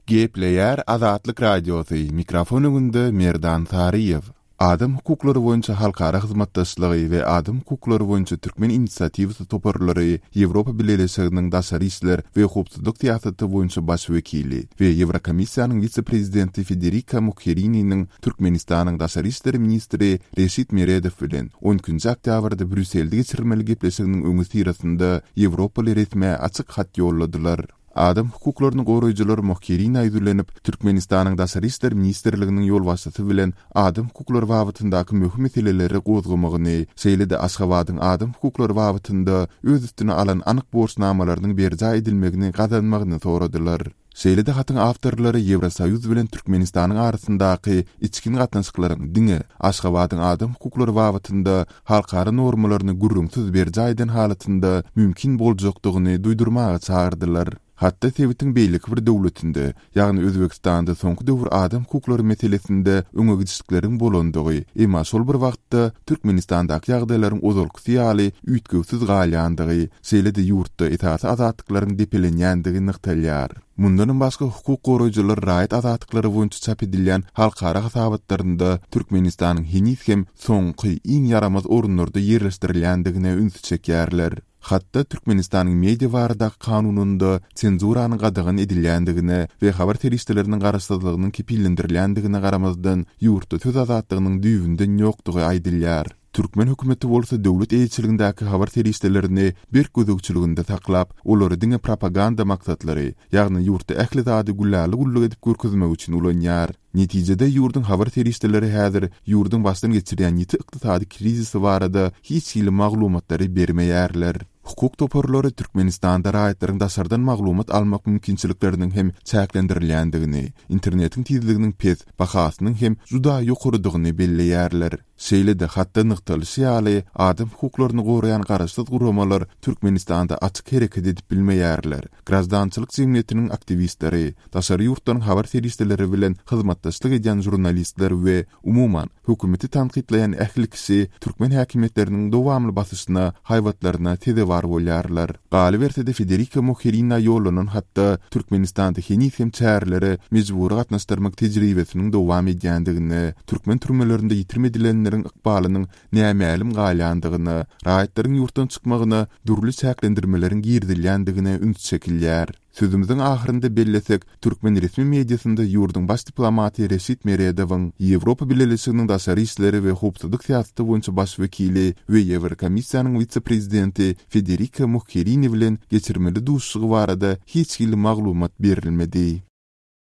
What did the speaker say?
Gepleýär Azatlyk Radiosy, mikrofon öňünde Merdan Saryýew. Adam hukuklary boýunça halkara hyzmatdaşlygy we adam hukuklary boýunça türkmen inisiatiwasy toparlary Ýewropa Bileleşiginiň daşary işler we howpsuzlyk syýasaty boýunça baş wekili we Ýewrokomissiýanyň wise-prezidenti Federika Mogherininiň Türkmenistanyň daşary işler ministri Reşit Meredow bilen on ikinji oktýabrda Brýusselde geçirilmeli gepleşiginiň öňüsyrasynda ýewropaly resmä açyk hat ýolladylar. Adam hukuklaryny goraýjylar Mogherinä ýüzlenip, Türkmenistanyň Daşary işler ministrliginiň ýolbaşçysy bilen adam hukuklary babatyndaky möhüm meseleleri gozgamagyny, şeýle-de Aşgabadyň adam hukuklary babatynda öz üstüne alan anyk borçnamalarynyň berjaý edilmegini gazanmagyny soradylar. Şeýle-de hatyň awtorlary Ýewrosoýuz bilen Türkmenistanyň arasyndaky içgin gatnaşyklaryň diňe Aşgabadyň adam hukuklary babatynda halkara normalaryny gürrüňsiz berjaý eden halatynda mümkin boljakdygyny duýdurmaga çagyrdylar. Hatda sebitiň beýleki bir döwletinde, ýagny Özbegistanda soňky döwür adam hukuklary meselesinde öňe gidişlikleriň bolandygy, emma şol bir wagtda Türkmenistandaky ýagdaýlaryň ozalkysy ýaly üýtgewsiz galýandygy, şeýle-de ýurtda esasy azatlyklaryň depelenýändigi nygtalýar. Mundanam başga hukuk goraýjylar raýat azatlyklary boýunça çap edilýän halkara hasabatlarynda Türkmenistanyň heniz hem soňky, iň ýaramaz orunlarda ýerleşdirilýändigine ünsi çekýärler. Hatda Türkmenistanyň Media baradaky kanunynda senzuranyň gadagan edilýändigine we habar serişdeleriniň garaşsyzlygynyň kepillendirilýändigine garamazdan, ýurtda söz azatlygynyň düýbünden ýokdugy aýdylýar. Türkmen hökümeti bolsa döwlet eýeçiligindäki habar serişdelerini berk gözegçiliginde saklap, olary diňe propaganda maksatlary, ýagny ýurtda ähli zady gülläli-gulluk edip görkezmek üçin ulanýar. Netijede ýurduň habar serişdeleri häzir ýurduň başdan geçirýän ýiti ykdysady krizisi barada hiç hili maglumatlary bermeýärler. Hukuk toparlary Türkmenistanda raýatlaryň daşardan maglumat almak mümkinçilikleriniň hem çäklendirilýändigini, internetiň tizliginiň pes, bahasynyň hem juda ýokarydygyny belleýärler. Şeýle-de, hatda nygtalyşy ýaly, adam hukuklaryny goraýan garaşsyz guramalar Türkmenistanda açyk hereket edip bilmeýärler. Graždançylyk jemgyýetiniň aktiwistleri, daşary ýurtlaryň habar serişdeleri bilen hyzmatdaşlyk edýän žurnalistler we, umuman, hökümeti tankytlaýan ähli kişi türkmen häkimiýetleriniň dowamly basyşyna, haýbatlaryna sezewar bolýarlar. Galyberse-de, Federika Mogherinä ýollanan hatda Türkmenistanda heniz hem çärelere mejbury gatnaşdyrmak tejribesiniň dowam edýändigine, türkmen türmelerinde ýitirim edilenleriň ykbalynyň nämälim galýandygyna, raýatlaryň ýurtdan çykmagyna dürli çäklendirmeleriň girizilýändigine üns çekilýär. Sözümiziň ahyrynda bellesek, türkmen resmi mediasynda ýurduň baş diplomaty Reşit Meredowyň, Ýewropa Bileleşiginiň daşary işleri we howpsuzlyk syýasaty boýunça baş wekili we Ýewrokomissiýanyň wise-prezidenti Federika Mogherini bilen geçirmeli duşuşygy barada hiç hili maglumat berilmedi.